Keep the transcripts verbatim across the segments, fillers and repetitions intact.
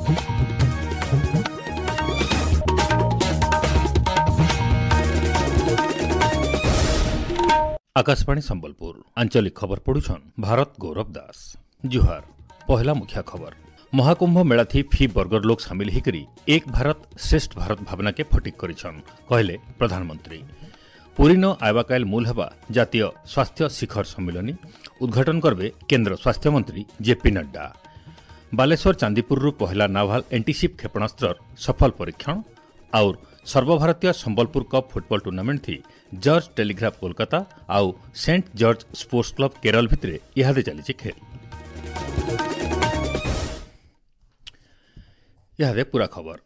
Akashvani Sambalpur ଆଞ୍ଚଳିକ ଖବର ପଢୁଛନ୍ ଭାରତ ଗୌରବ ଦାସ। ଜୁହାର। ପହଲା ମୁଖ୍ୟ ଖବର। ମହାକୁମ୍ଭ ମେଳାଥି ଫି ବର୍ଗର ଲୋକ ସାମିଲ ହେଇକରି ଏକ ଭାରତ ଶ୍ରେଷ୍ଠ ଭାରତ ଭାବନାକେ ଫଟିକ୍ କରିଛନ୍ କହିଲେ ପ୍ରଧାନମନ୍ତ୍ରୀ। ପୁରୀନ ଆଇବାକାଇଲ ମୂଲ ହେବା ଜାତୀୟ ସ୍ୱାସ୍ଥ୍ୟ ଶିଖର ସମ୍ମିଳନୀ ଉଦ୍ଘାଟନ କରିବେ କେନ୍ଦ୍ର ସ୍ୱାସ୍ଥ୍ୟମନ୍ତ୍ରୀ ଜେପି ନଡ୍ଡା। ବାଲେଶ୍ୱର ଚାନ୍ଦିପୁରରୁ ପହିଲା ନାଭାଲ ଏଣ୍ଟିସିପ୍ କ୍ଷେପଣାସ୍ତ୍ରର ସଫଳ ପରୀକ୍ଷଣ। ଆଉର ସର୍ବଭାରତୀୟ Sambalpur cup football tournament the George Telegraph Kolkata ଆଉ saint George sports club Kerala ଭିତରେ ଇହାଦେ ଚାଲିଛି ଖେଳ। ଇହାଦେ ପୁରା ଖବର।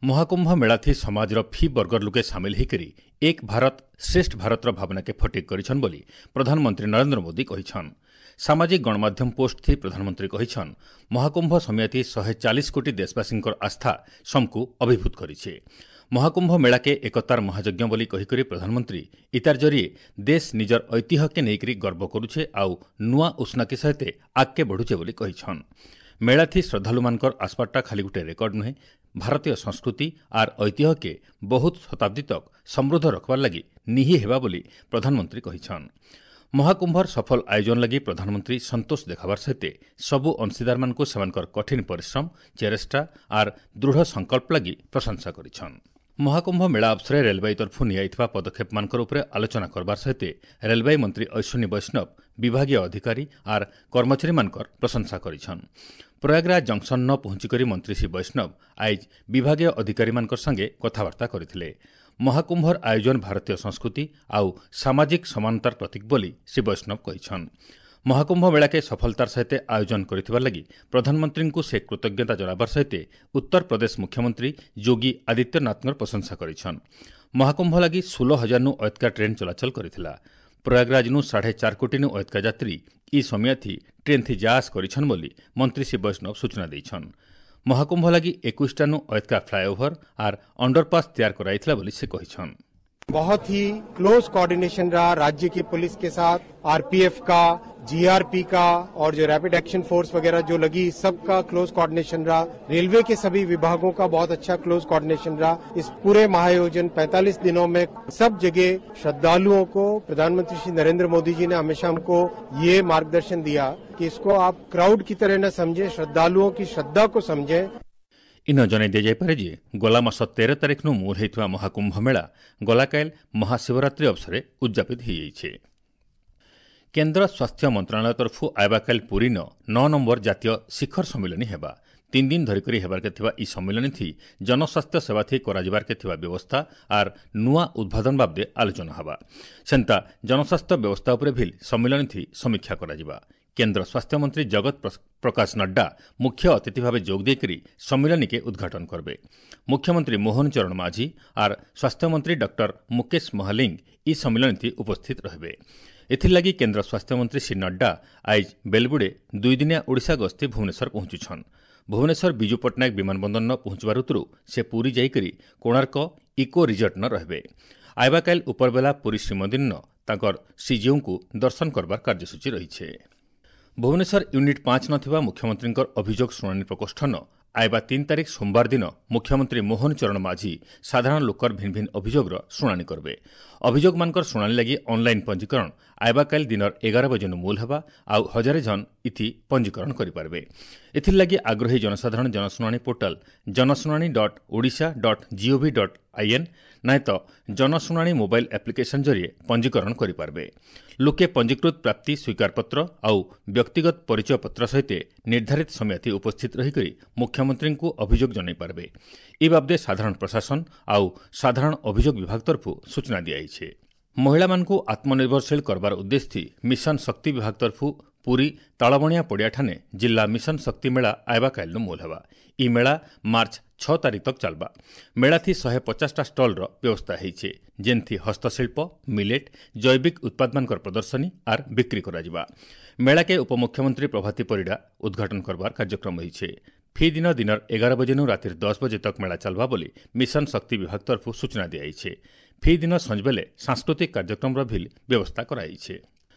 ମହାକୁମ୍ଭ ମେଳାଥି ସମାଜର ଫି ବର୍ଗର ଲୋକେ ସାମିଲ ହେଇକରି ଏକ ଭାରତ ଶ୍ରେଷ୍ଠ ଭାରତର ଭାବନାକେ ଫଟିକ୍ କରିଛନ୍ ବୋଲି ପ୍ରଧାନମନ୍ତ୍ରୀ ନରେନ୍ଦ୍ର ମୋଦି କହିଛନ୍। ସାମାଜିକ ଗଣମାଧ୍ୟମ ପୋଷ୍ଟ ଥି ପ୍ରଧାନମନ୍ତ୍ରୀ କହିଛନ୍, ମହାକୁମ୍ଭ ସମୟଥି ଶହେ ଚାଳିଶ କୋଟି ଦେଶବାସୀଙ୍କର ଆସ୍ଥା ସମକୁ ଅଭିଭୂତ କରିছে। ମହାକୁମ୍ଭ ମେଳାକେ ଏକତାର ମହାଯଜ୍ଞ ବୋଲି କହିକରି ପ୍ରଧାନମନ୍ତ୍ରୀ ଇତାର ଜରିଏ ଦେଶ ନିଜର ଐତିହ୍ୟକେ ନେଇକରି ଗର୍ବ କରୁଛେ ଆଉ ନୂଆ ଉଷ୍ଣାକେ ସହିତ ଆଗକେ ବଢ଼ୁଛେ ବୋଲି କହିଛନ୍। ମେଳାଥି ଶ୍ରଦ୍ଧାଳୁମାନଙ୍କର ଆସବାରଟା ଖାଲି ଗୋଟେ ରେକର୍ଡ ନୁହେଁ, ଭାରତୀୟ ସଂସ୍କୃତି ଆର୍ ଐତିହ୍ୟକେ ବହୁତ ଶତାବ୍ଦୀ ତକ୍ ସମୃଦ୍ଧ ରଖବାର ଲାଗି ନିହି ହେବା ବୋଲି ପ୍ରଧାନମନ୍ତ୍ରୀ କହିଛନ୍। ମହାକୁମ୍ଭର ସଫଳ ଆୟୋଜନ ଲାଗି ପ୍ରଧାନମନ୍ତ୍ରୀ ସନ୍ତୋଷ ଦେଖାବାର ସହିତ ସବୁ ଅଂଶୀଦାରମାନଙ୍କୁ ସେମାନଙ୍କର କଠିନ ପରିଶ୍ରମ, ଚେଷ୍ଟା ଆର୍ ଦୃଢ଼ ସଂକଳ୍ପ ଲାଗି ପ୍ରଶଂସା କରିଛନ୍। ମହାକୁମ୍ଭ ମେଳା ଅବସରରେ ରେଲବାଇ ତରଫରୁ ନିଆଯାଇଥିବା ପଦକ୍ଷେପମାନଙ୍କର ଉପରେ ଆଲୋଚନା କରବାର ସହିତ ରେଲବାଇ ମନ୍ତ୍ରୀ ଅଶ୍ୱିନୀ ବୈଷ୍ଣବ ବିଭାଗୀୟ ଅଧିକାରୀ ଆର୍ କର୍ମଚାରୀମାନଙ୍କର ପ୍ରଶଂସା କରିଛନ୍। ପ୍ରୟାଗରାଜ ଜଙ୍କସନ୍ନ ପହଞ୍ଚିକରି ମନ୍ତ୍ରୀ ଶ୍ରୀ ବୈଷ୍ଣବ ଆଇଜ ବିଭାଗୀୟ ଅଧିକାରୀମାନଙ୍କର ସାଙ୍ଗେ କଥାବାର୍ତ୍ତା କରିଥିଲେ। ମହାକୁମ୍ଭର ଆୟୋଜନ ଭାରତୀୟ ସଂସ୍କୃତି ଆଉ ସାମାଜିକ ସମାନତାର ପ୍ରତୀକ ବୋଲି ଶ୍ରୀ ବୈଷ୍ଣବ କହିଛନ୍। ମହାକୁମ୍ଭ ମେଳାକେ ସଫଳତାର ସହିତ ଆୟୋଜନ କରିଥିବାର ଲାଗି ପ୍ରଧାନମନ୍ତ୍ରୀଙ୍କୁ ସେ କୃତଜ୍ଞତା ଜଣାବାର ସହିତ ଉତ୍ତରପ୍ରଦେଶ ମୁଖ୍ୟମନ୍ତ୍ରୀ ଯୋଗୀ ଆଦିତ୍ୟନାଥଙ୍କର ପ୍ରଶଂସା କରିଛନ୍। ମହାକୁମ୍ଭ ଲାଗି ଷୋହଳ ହଜାରନୁ ଅୟତ୍କା ଟ୍ରେନ୍ ଚଳାଚଳ କରିଥିଲା। ପ୍ରୟାଗରାଜନୁ ସାଢ଼େ ଚାର କୋଟିନୁ ଅୟତ୍କା ଯାତ୍ରୀ ଇ ସମୟାଥି ଟ୍ରେନ୍ଥି ଯାଆସ କରିଛନ୍ ବୋଲି ମନ୍ତ୍ରୀ ଶ୍ରୀ ବୈଷ୍ଣବ ସୂଚନା ଦେଇଛନ୍। ମହାକୁମ୍ଭ ଲାଗି ଏକୋଇଶଟାନୁ ଅୟତ୍କା ଫ୍ଲାଏଓଭର ଆର୍ ଅଣ୍ଡରପାସ୍ ତିଆର କରାଯାଇଥିଲା ବୋଲି ସେ କହିଛନ୍। बहुत ही क्लोज कोऑर्डिनेशन रहा राज्य की पुलिस के साथ, आरपीएफ का, जीआरपी का और जो रैपिड एक्शन फोर्स वगैरह जो लगी, सबका क्लोज कोऑर्डिनेशन रहा। रेलवे के सभी विभागों का बहुत अच्छा क्लोज कोऑर्डिनेशन रहा। इस पूरे महायोजन पैंतालीस दिनों में सब जगह श्रद्धालुओं को प्रधानमंत्री श्री नरेंद्र मोदी जी ने हमेशा हमको ये मार्गदर्शन दिया कि इसको आप क्राउड की तरह न समझें, श्रद्धालुओं की श्रद्धा को समझें। ଇନ ଜଣାଇ ଦିଆଯାଇପାରେ ଯେ ଗଲା ମାସ ତେର ତାରିଖନୁ ମୂଲ ହୋଇଥିବା ମହାକୁମ୍ଭ ମେଳା ଗଲାକାଇଲ ମହାଶିବରାତ୍ରି ଅବସରରେ ଉଦ୍ଯାପିତ ହୋଇଯାଇଛି। କେନ୍ଦ୍ର ସ୍ୱାସ୍ଥ୍ୟ ମନ୍ତ୍ରଣାଳୟ ତରଫରୁ ଆଇବାକାଇଲ ପୁରୀନ ନଅ ନମ୍ବର ଜାତୀୟ ଶିଖର ସମ୍ମିଳନୀ ହେବା। ତିନି ଦିନ ଧରିକରି ହେବାର୍କେ ଥିବା ଇ ସମ୍ମିଳନୀଥି ଜନସ୍ୱାସ୍ଥ୍ୟ ସେବାଥି କରାଯିବାର୍କେ ଥିବା ବ୍ୟବସ୍ଥା ଆର୍ ନୂଆ ଉଦ୍ଭାବନ ବାବଦେ ଆଲୋଚନା ହେବା। ସେନ୍ତା ଜନସ୍ୱାସ୍ଥ୍ୟ ବ୍ୟବସ୍ଥା ଉପରେ ଭିଲ୍ ସମ୍ମିଳନୀଥି ସମୀକ୍ଷା କରାଯିବା। କେନ୍ଦ୍ର ସ୍ୱାସ୍ଥ୍ୟମନ୍ତ୍ରୀ ଜଗତ ପ୍ରକାଶ ନଡ୍ଡା ମୁଖ୍ୟ ଅତିଥି ଭାବେ ଯୋଗ ଦେଇକରି ସମ୍ମିଳନୀକେ ଉଦ୍ଘାଟନ କରିବେ। ମୁଖ୍ୟମନ୍ତ୍ରୀ ମୋହନ ଚରଣ ମାଝୀ ଆର୍ ସ୍ୱାସ୍ଥ୍ୟମନ୍ତ୍ରୀ ଡକ୍ଟର ମୁକେଶ ମହାଲିଙ୍ଗ ଇ ସମ୍ମିଳନୀଥି ଉପସ୍ଥିତ ରହିବେ। ଏଥିର୍ଲାଗି କେନ୍ଦ୍ର ସ୍ୱାସ୍ଥ୍ୟମନ୍ତ୍ରୀ ଶ୍ରୀ ନଡ୍ଡା ଆଇଜ ବେଲବୁଡ଼େ ଦୁଇଦିନିଆ ଓଡ଼ିଶା ଗସ୍ତି ଭୁବନେଶ୍ୱର ପହଞ୍ଚୁଛନ୍। ଭୁବନେଶ୍ୱର ବିଜୁ ପଟ୍ଟନାୟକ ବିମାନ ବନ୍ଦରନ ପହଞ୍ଚିବାର ଉତ୍ତରୁ ସେ ପୁରୀ ଯାଇକରି କୋଣାର୍କ ଇକୋ ରିଜର୍ଟନ ରହିବେ। ଆଇବାକାଇଲ ଉପରବେଲା ପୁରୀ ଶ୍ରୀମନ୍ଦିରନ ତାଙ୍କର ଶ୍ରୀଜୀଉଙ୍କୁ ଦର୍ଶନ କରବାର କାର୍ଯ୍ୟସୂଚୀ ରହିଛି। ଭୁବନେଶ୍ୱର ୟୁନିଟ୍ ପାଞ୍ଚ ନଥିବା ମୁଖ୍ୟମନ୍ତ୍ରୀଙ୍କର ଅଭିଯୋଗ ଶୁଣାଣି ପ୍ରକୋଷ୍ଠନ ଆଇବା ତିନି ତାରିଖ ସୋମବାର ଦିନ ମୁଖ୍ୟମନ୍ତ୍ରୀ ମୋହନ ଚରଣ ମାଝୀ ସାଧାରଣ ଲୋକର ଭିନ୍ନ ଭିନ୍ନ ଅଭିଯୋଗର ଶୁଣାଣି କରିବେ। ଅଭିଯୋଗମାନଙ୍କର ଶୁଣାଣି ଲାଗି ଅନ୍ଲାଇନ୍ ପଞ୍ଜୀକରଣ ଆଇବାକାଲି ଦିନର ଏଗାର ବଜେନୁ ମୂଲ ହେବା ଆଉ ହଜାରେ ଜଣ ଇଥି ପଞ୍ଜୀକରଣ କରିପାରିବେ। ଏଥିର୍ଲାଗି ଆଗ୍ରହୀ ଜନସାଧାରଣ ଜନଶୁଣାଣି ପୋର୍ଟାଲ ଜନଶୁଣାଣି dot Odisha dot gov dot in ନାଇଁ ତ ଜନଶୁଣାଣି ମୋବାଇଲ ଆପ୍ଲିକେସନ୍ ଜରିଏ ପଞ୍ଜୀକରଣ କରିପାରିବେ। ଲୋକେ ପଞ୍ଜୀକୃତ ପ୍ରାପ୍ତି ସ୍ୱୀକାରପତ୍ର ଆଉ ବ୍ୟକ୍ତିଗତ ପରିଚୟପତ୍ର ସହିତ ନିର୍ଦ୍ଧାରିତ ସମୟଥି ଉପସ୍ଥିତ ରହିକରି ମୁଖ୍ୟମନ୍ତ୍ରୀଙ୍କୁ ଅଭିଯୋଗ ଜଣାଇପାରିବେ। ଏ ବାବଦେ ସାଧାରଣ ପ୍ରଶାସନ ଆଉ ସାଧାରଣ ଅଭିଯୋଗ ବିଭାଗ ତରଫରୁ ସୂଚନା ଦିଆଯାଇଛି। ମହିଳାମାନଙ୍କୁ ଆତ୍ମନିର୍ଭରଶୀଳ କରବାର ଉଦ୍ଦେଶ୍ୟ ମିଶନ ଶକ୍ତି ବିଭାଗ ତରଫରୁ ପୁରୀ ତାଳବଣିଆ ପଡ଼ିଆଠାନେ ଜିଲ୍ଲା ମିଶନ ଶକ୍ତି ମେଳା ଆଇବାକାଇଲନୁ ମୂଲ ହେବା। ଇ ମେଳା ମାର୍ଚ୍ଚ ଛଅ ତାରିଖ ତକ୍ ଚାଲବା। ମେଳାଥି ଶହେ ପଚାଶଟା ଷ୍ଟଲ୍ର ବ୍ୟବସ୍ଥା ହେଇছে, ଯେନ୍ଥି ହସ୍ତଶିଳ୍ପ, ମିଲେଟ୍, ଜୈବିକ ଉତ୍ପାଦମାନଙ୍କର ପ୍ରଦର୍ଶନୀ ଆର୍ ବିକ୍ରି କରାଯିବା। ମେଳାକେ ଉପମୁଖ୍ୟମନ୍ତ୍ରୀ ପ୍ରଭାତୀ ପରିଡ଼ା ଉଦ୍ଘାଟନ କରବାର କାର୍ଯ୍ୟକ୍ରମ ହେଇছে। ଫି ଦିନ ଦିନର ଏଗାର ବଜେନୁ ରାତିର ଦଶ ବଜେ ତକ୍ ମେଳା ଚାଲବା ବୋଲି ମିଶନ ଶକ୍ତି ବିଭାଗ ତରଫରୁ ସୂଚନା ଦିଆଯାଇଛି। ଫି ଦିନ ସଞ୍ଜବେଲେ ସାଂସ୍କୃତିକ କାର୍ଯ୍ୟକ୍ରମର ଭିଲ୍ ବ୍ୟବସ୍ଥା କରାଯାଇଛି।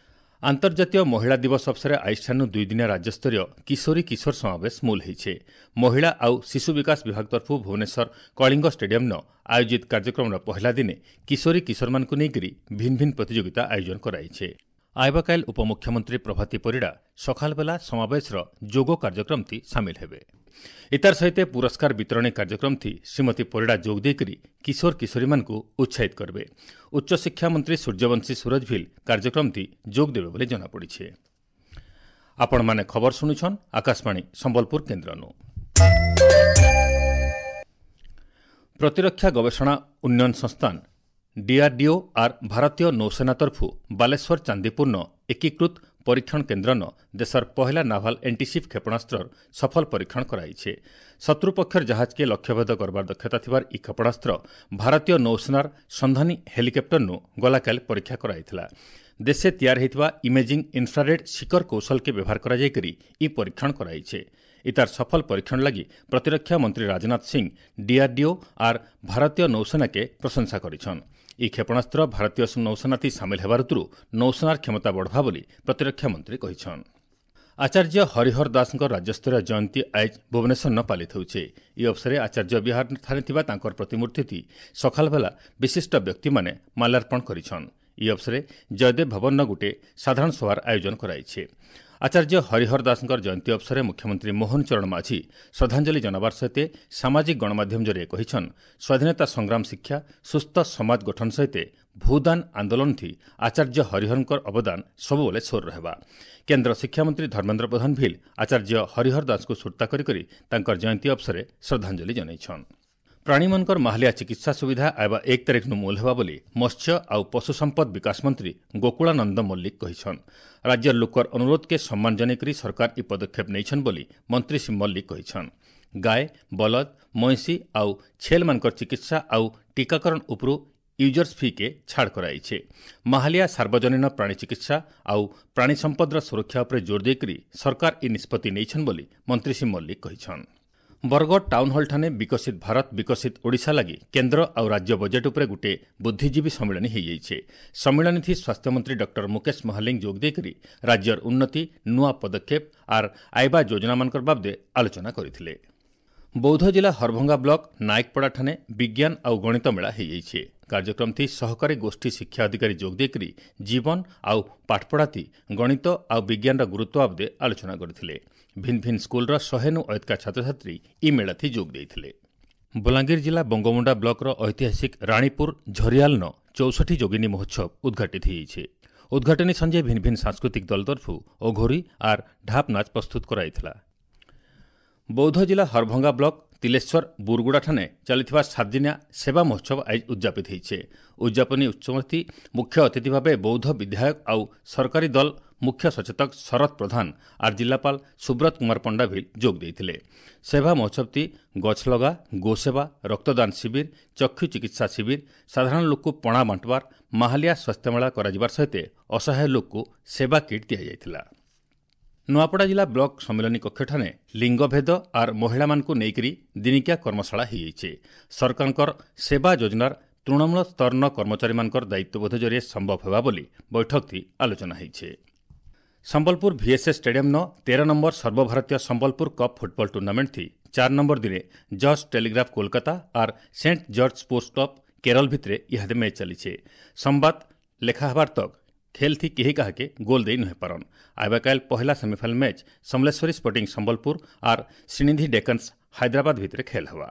ଆନ୍ତର୍ଜାତୀୟ ମହିଳା ଦିବସ ଅବସରେ ଆଇଷ୍ଠାନୁ ଦୁଇଦିନିଆ ରାଜ୍ୟସ୍ତରୀୟ କିଶୋରୀ କିଶୋର ସମାବେଶ ମୂଲ ହୋଇছে। ମହିଳା ଆଉ ଶିଶୁ ବିକାଶ ବିଭାଗ ତରଫରୁ ଭୁବନେଶ୍ୱର କଳିଙ୍ଗ ଷ୍ଟାଡିୟମ୍ନ ଆୟୋଜିତ କାର୍ଯ୍ୟକ୍ରମର ପହିଲା ଦିନେ କିଶୋରୀ କିଶୋରମାନଙ୍କୁ ନେଇକରି ଭିନ୍ନ ଭିନ୍ନ ପ୍ରତିଯୋଗିତା ଆୟୋଜନ କରାଯାଇଛି। ଆଇବାକାଇଲ ଉପମୁଖ୍ୟମନ୍ତ୍ରୀ ପ୍ରଭାତୀ ପରିଡ଼ା ସକାଳବେଲା ସମାବେଶର ଯୋଗ କାର୍ଯ୍ୟକ୍ରମଟି ସାମିଲ ହେବେ। ଇତାର ସହିତ ପୁରସ୍କାର ବିତରଣୀ କାର୍ଯ୍ୟକ୍ରମଥି ଶ୍ରୀମତୀ ପରିଡ଼ା ଯୋଗ ଦେଇକରି କିଶୋର କିଶୋରୀମାନଙ୍କୁ ଉତ୍ସାହିତ କରିବେ। ଉଚ୍ଚଶିକ୍ଷା ମନ୍ତ୍ରୀ ସୂର୍ଯ୍ୟବଂଶୀ ସୁରଜ ଭିଲ କାର୍ଯ୍ୟକ୍ରମଥି ଯୋଗ ଦେବେ ବୋଲି ଜଣାପଡ଼ିଛି। ଆପଣମାନେ ଖବର ଶୁଣୁଛନ୍ ଆକାଶବାଣୀ ସମ୍ବଲପୁର କେନ୍ଦ୍ରନୁ। ପ୍ରତିରକ୍ଷା ଗବେଷଣା ଉନ୍ନୟନ ସଂସ୍ଥାନ ଡିଆର୍ଡିଓ ଆର୍ ଭାରତୀୟ ନୌସେନା ତରଫୁ ବାଲେଶ୍ୱର ଚାନ୍ଦିପୁରନ ଏକୀକୃତ ପରୀକ୍ଷଣ କେନ୍ଦ୍ରନ ଦେଶର ପହିଲା ନାଭାଲ ଏଣ୍ଟିସିପ୍ କ୍ଷେପଣାସ୍ତ୍ରର ସଫଳ ପରୀକ୍ଷଣ କରାଇছে। ଶତ୍ରୁପକ୍ଷର ଜାହାଜକେ ଲକ୍ଷ୍ୟଭେଦ କରବାର ଦକ୍ଷତା ଥିବାର ଇ କ୍ଷେପଣାସ୍ତ୍ର ଭାରତୀୟ ନୌସେନାର ସନ୍ଧାନୀ ହେଲିକପ୍ଟରନୁ ଗଲାକାଲି ପରୀକ୍ଷା କରାଇଥିଲା। ଦେଶେ ତିଆରି ହୋଇଥିବା ଇମେଜିଂ ଇନଫ୍ରାରେଡ୍ ଶିକର କୌଶଲକେ ବ୍ୟବହାର କରାଯାଇକରି ଇ ପରୀକ୍ଷଣ କରାଇছে। ଇତାର ସଫଳ ପରୀକ୍ଷଣ ଲାଗି ପ୍ରତିରକ୍ଷା ମନ୍ତ୍ରୀ ରାଜନାଥ ସିଂ ଡିଆର୍ଡିଓ ଆର୍ ଭାରତୀୟ ନୌସେନାକେ ପ୍ରଶଂସା କରିଛନ୍। ଇ କ୍ଷେପଣାସ୍ତ୍ର ଭାରତୀୟ ନୌସେନାଥି ସାମିଲ ହେବାର ଋତୁରୁ ନୌସେନାର କ୍ଷମତା ବଢ଼ବା ବୋଲି ପ୍ରତିରକ୍ଷା ମନ୍ତ୍ରୀ କହିଛନ୍। ଆଚାର୍ଯ୍ୟ ହରିହର ଦାସଙ୍କ ରାଜ୍ୟସ୍ତରୀୟ ଜୟନ୍ତୀ ଆଇଜ ଭୁବନେଶ୍ୱରନ ପାଳିତ ହେଉଛି। ଏହି ଅବସରରେ ଆଚାର୍ଯ୍ୟ ବିହାରଠାରେ ଥିବା ତାଙ୍କର ପ୍ରତିମୂର୍ତ୍ତି ସକାଳବେଲା ବିଶିଷ୍ଟ ବ୍ୟକ୍ତିମାନେ ମାଲ୍ୟାର୍ପଣ କରିଛନ୍। ଏହି ଅବସରରେ ଜୟଦେବ ଭବନର ଗୋଟିଏ ସାଧାରଣ ସଭାର ଆୟୋଜନ କରାଯାଇଛି। ଆଚାର୍ଯ୍ୟ ହରିହର ଦାସଙ୍କ ଜୟନ୍ତୀ ଅବସରରେ ମୁଖ୍ୟମନ୍ତ୍ରୀ ମୋହନ ଚରଣ ମାଝୀ ଶ୍ରଦ୍ଧାଞ୍ଜଳି ଜଣାବାର ସହିତ ସାମାଜିକ ଗଣମାଧ୍ୟମ ଜରିଏ କହିଛନ୍, ସ୍ୱାଧୀନତା ସଂଗ୍ରାମ ଶିକ୍ଷା, ସୁସ୍ଥ ସମାଜ ଗଠନ ସହିତ ଭୂଦାନ ଆନ୍ଦୋଳନଥି ଆଚାର୍ଯ୍ୟ ହରିହରଙ୍କ ଅବଦାନ ସବୁବେଳେ ସୋର ରହିବା। କେନ୍ଦ୍ର ଶିକ୍ଷାମନ୍ତ୍ରୀ ଧର୍ମେନ୍ଦ୍ର ପ୍ରଧାନ ଭିଲ ଆଚାର୍ଯ୍ୟ ହରିହର ଦାସଙ୍କୁ ସୁର୍ତ୍ତା କରି କରି ତାଙ୍କର ଜୟନ୍ତୀ ଅବସରରେ ଶ୍ରଦ୍ଧାଞ୍ଜଳି ଜଣାଇଛନ୍। ପ୍ରାଣୀମାନଙ୍କର ମାହାଲିଆ ଚିକିତ୍ସା ସୁବିଧା ଆଇବା ଏକ ତାରିଖନୁ ମୂଲ ହେବା ବୋଲି ମତ୍ସ୍ୟ ଆଉ ପଶୁ ସମ୍ପଦ ବିକାଶ ମନ୍ତ୍ରୀ ଗୋକୁଳାନନ୍ଦ ମଲ୍ଲିକ କହିଛନ୍। ରାଜ୍ୟର ଲୋକର ଅନୁରୋଧକେ ସମ୍ମାନ ଜଣାଇକରି ସରକାର ଇ ପଦକ୍ଷେପ ନେଇଛନ୍ ବୋଲି ମନ୍ତ୍ରୀ ଶ୍ରୀ ମଲ୍ଲିକ କହିଛନ୍। ଗାଏ, ବଲଦ, ମଇଁଷି ଆଉ ଛେଲ୍ମାନଙ୍କର ଚିକିତ୍ସା ଆଉ ଟୀକାକରଣ ଉପରୁ ୟୁଜର୍ସ ଫିକେ ଛାଡ଼ କରାଯାଇଛି। ମାହାଲିଆ ସାର୍ବଜନୀନ ପ୍ରାଣୀ ଚିକିତ୍ସା ଆଉ ପ୍ରାଣୀ ସମ୍ପଦର ସୁରକ୍ଷା ଉପରେ ଜୋର ଦେଇକରି ସରକାର ଇ ନିଷ୍ପତ୍ତି ନେଇଛନ୍ ବୋଲି ମନ୍ତ୍ରୀ ଶ୍ରୀ ମଲ୍ଲିକ କହିଛନ୍। ବରଗଡ଼ ଟାଉନ୍ ହଲ୍ଠାନେ ବିକଶିତ ଭାରତ ବିକଶିତ ଓଡ଼ିଶା ଲାଗି କେନ୍ଦ୍ର ଆଉ ରାଜ୍ୟ ବଜେଟ୍ ଉପରେ ଗୋଟିଏ ବୁଦ୍ଧିଜୀବୀ ସମ୍ମିଳନୀ ହୋଇଯାଇଛି। ସମ୍ମିଳନୀଥି ସ୍ୱାସ୍ଥ୍ୟମନ୍ତ୍ରୀ ଡକ୍ଟର ମୁକେଶ ମହାଲିଙ୍ଗ ଯୋଗ ଦେଇକରି ରାଜ୍ୟର ଉନ୍ନତି, ନୂଆ ପଦକ୍ଷେପ ଆର୍ ଆଇବା ଯୋଜନାମାନଙ୍କର ବାବଦେ ଆଲୋଚନା କରିଥିଲେ। ବୌଦ୍ଧ ଜିଲ୍ଲା ହରଭଙ୍ଗା ବ୍ଲକ ନାୟକପଡ଼ାଠାନେ ବିଜ୍ଞାନ ଆଉ ଗଣିତ ମେଳା ହୋଇଯାଇଛି। କାର୍ଯ୍ୟକ୍ରମଥି ସହକାରୀ ଗୋଷ୍ଠୀ ଶିକ୍ଷା ଅଧିକାରୀ ଯୋଗ ଦେଇକରି ଜୀବନ ଆଉ ପାଠପଢ଼ାଥି ଗଣିତ ଆଉ ବିଜ୍ଞାନର ଗୁରୁତ୍ୱ ବାବଦେ ଆଲୋଚନା କରିଥିଲେ। ଭିନ୍ନ ଭିନ୍ନ ସ୍କୁଲର ଶହେନୁ ଅୟତ୍କା ଛାତ୍ରଛାତ୍ରୀ ଇ ମେଳାଥି ଯୋଗ ଦେଇଥିଲେ। ବଲାଙ୍ଗୀର ଜିଲ୍ଲା ବଙ୍ଗୋମୁଣ୍ଡା ବ୍ଲକର ଐତିହାସିକ ରାଣୀପୁର ଝରିଆଲନ ଚଉଷଠି ଯୋଗିନୀ ମହୋତ୍ସବ ଉଦ୍ଘାଟିତ ହୋଇଛି। ଉଦ୍ଘାଟନୀ ସଞ୍ଜେ ଭିନ୍ନ ଭିନ୍ନ ସାଂସ୍କୃତିକ ଦଳ ତରଫରୁ ଅଘୋରୀ ଆର୍ ଢାପ୍ ନାଚ ପ୍ରସ୍ତୁତ କରାଯାଇଥିଲା। ବୌଦ୍ଧ ଜିଲ୍ଲା ହରଭଙ୍ଗା ବ୍ଲକ ତିଲେଶ୍ୱର ବୁରଗୁଡ଼ାଠାନେ ଚାଲିଥିବା ସାତଦିନିଆ ସେବା ମହୋତ୍ସବ ଆଜି ଉଦ୍ଯାପିତ ହୋଇছে। ଉଦ୍ଯାପନୀ ଉତ୍ସବଟି ମୁଖ୍ୟ ଅତିଥି ଭାବେ ବୌଦ୍ଧ ବିଧାୟକ ଆଉ ସରକାରୀ ଦଳ ମୁଖ୍ୟ ସଚେତକ ଶରତ ପ୍ରଧାନ ଆର୍ ଜିଲ୍ଲାପାଳ ସୁବ୍ରତ କୁମାର ପଣ୍ଡା ଭିଲ ଯୋଗ ଦେଇଥିଲେ। ସେବା ମହୋତ୍ସବଟି ଗଛ ଲଗା, ଗୋସେବା, ରକ୍ତଦାନ ଶିବିର, ଚକ୍ଷୁ ଚିକିତ୍ସା ଶିବିର, ସାଧାରଣ ଲୋକକୁ ପଣା ବାଣ୍ଟବାର, ମାହାଲିଆ ସ୍ୱାସ୍ଥ୍ୟମେଳା କରାଯିବାର ସହିତ ଅସହାୟ ଲୋକକୁ ସେବା କିଟ୍ ଦିଆଯାଇଥିଲା। ନୂଆପଡ଼ା ଜିଲ୍ଲା ବ୍ଲକ ସମ୍ମିଳନୀ କକ୍ଷଠାନେ ଲିଙ୍ଗଭେଦ ଆର୍ ମହିଳାମାନଙ୍କୁ ନେଇକରି ଦିନିକିଆ କର୍ମଶାଳା ହୋଇଯାଇଛି। ସରକାରଙ୍କର ସେବା ଯୋଜନାର ତୃଣମୂଳ ସ୍ତରର କର୍ମଚାରୀମାନଙ୍କର ଦାୟିତ୍ୱବୋଧ ଜରିଏ ସମ୍ଭବ ହେବା ବୋଲି ବୈଠକଟି ଆଲୋଚନା ହୋଇଛି। ସମ୍ବଲପୁର ଭିଏସ୍ଏସ୍ ଷ୍ଟାଡିୟମ୍ନ ତେର ନମ୍ବର ସର୍ବଭାରତୀୟ ସମ୍ବଲପୁର କପ୍ ଫୁଟବଲ ଟୁର୍ଣ୍ଣାମେଣ୍ଟଥି ଚାର ନମ୍ବର ଦିନେ ଜର୍ଜ ଟେଲିଗ୍ରାଫ କୋଲକାତା ଆର୍ saint George sports club Kerala ଭିତରେ ଇହାଦେ ମ୍ୟାଚ୍ ଚାଲିছে। ସମ୍ବାଦ ଲେଖା ହେବାର ତକ୍ ଖେଲ୍ ଥି କେହି କାହାକେ ଗୋଲ୍ ଦେଇ ନୁହେଁ ପାରନ୍। ଆଇବାକାଇଲ ପହିଲା semifinal match Samaleswari sporting Sambalpur ଆର୍ ଶ୍ରୀନିଧି ଡେକନ୍ସ ହାଇଦ୍ରାବାଦ ଭିତରେ ଖେଲ୍ ହେବା।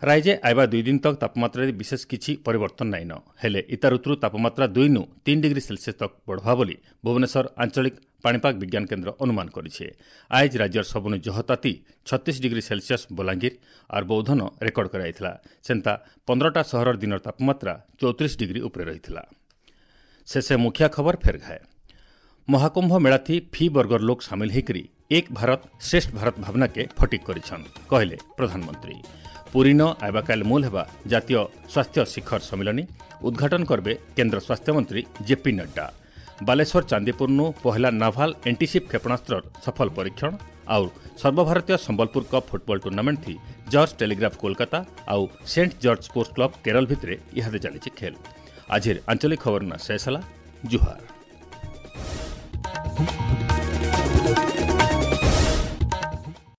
ରାଇଜେ ଆଇବା ଦୁଇ ଦିନ ତକ୍ ତାପମାତ୍ରାରେ ବିଶେଷ କିଛି ପରିବର୍ତ୍ତନ ନାଇଁନ, ହେଲେ ଇତା ଋତୁରୁ ତାପମାତ୍ରା ଦୁଇନୁ ତିନି ଡିଗ୍ରୀ ସେଲସିୟସ୍ ତକ୍ ବଢ଼ବା ବୋଲି ଭୁବନେଶ୍ୱର ଆଞ୍ଚଳିକ ପାଣିପାଗ ବିଜ୍ଞାନ କେନ୍ଦ୍ର ଅନୁମାନ କରିছে। ଆଇଜ ରାଜ୍ୟର ସବୁନୁ ଜହ ତାତି ଛତିଶ ଡିଗ୍ରୀ ସେଲସିୟସ୍ ବଲାଙ୍ଗୀର ଆର୍ ବୌଦ୍ଧନ ରେକର୍ଡ କରାଯାଇଥିଲା। ସେନ୍ତା ପନ୍ଦରଟା ସହରର ଦିନର ତାପମାତ୍ରା ଚଉତିରିଶ ଡିଗ୍ରୀ ଉପରେ ରହିଥିଲା। ଶେଷେ ମୁଖିଆ ଖବର ଫେର ଘାଏ। ମହାକୁମ୍ଭ ମେଳାଥି ଫି ବର୍ଗର ଲୋକ ସାମିଲ ହେଇକରି ଏକ ଭାରତ ଶ୍ରେଷ୍ଠ ଭାରତ ଭାବନାକେ ଫଟିକ୍ କରିଛନ୍ କହିଲେ ପ୍ରଧାନମନ୍ତ୍ରୀ। ପୁରୀନ ଆଇବାକାଲ ମୂଲ ହେବା ଜାତୀୟ ସ୍ୱାସ୍ଥ୍ୟ ଶିଖର ସମ୍ମିଳନୀ ଉଦ୍ଘାଟନ କରିବେ କେନ୍ଦ୍ର ସ୍ୱାସ୍ଥ୍ୟମନ୍ତ୍ରୀ ଜେପି ନଡ୍ଡା। ବାଲେଶ୍ୱର ଚାନ୍ଦିପୁରନୁ ପହିଲା ନାଭାଲ ଏଣ୍ଟିସିପ୍ କ୍ଷେପଣାସ୍ତ୍ରର ସଫଳ ପରୀକ୍ଷଣ ଆଉ ସର୍ବଭାରତୀୟ ସମ୍ବଲପୁର କପ୍ ଫୁଟବଲ ଟୁର୍ଣ୍ଣାମେଣ୍ଟଥି ଜର୍ଜ ଟେଲିଗ୍ରାଫ କୋଲକାତା ଆଉ saint George sports club Kerala ଭିତରେ ଇହାଦେ ଚାଲିଛି ଖେଲ୍। ଆଜିର ଆଞ୍ଚଳିକ ଖବର ନା ଶେଷ ହେଲା। ଜୁହାର।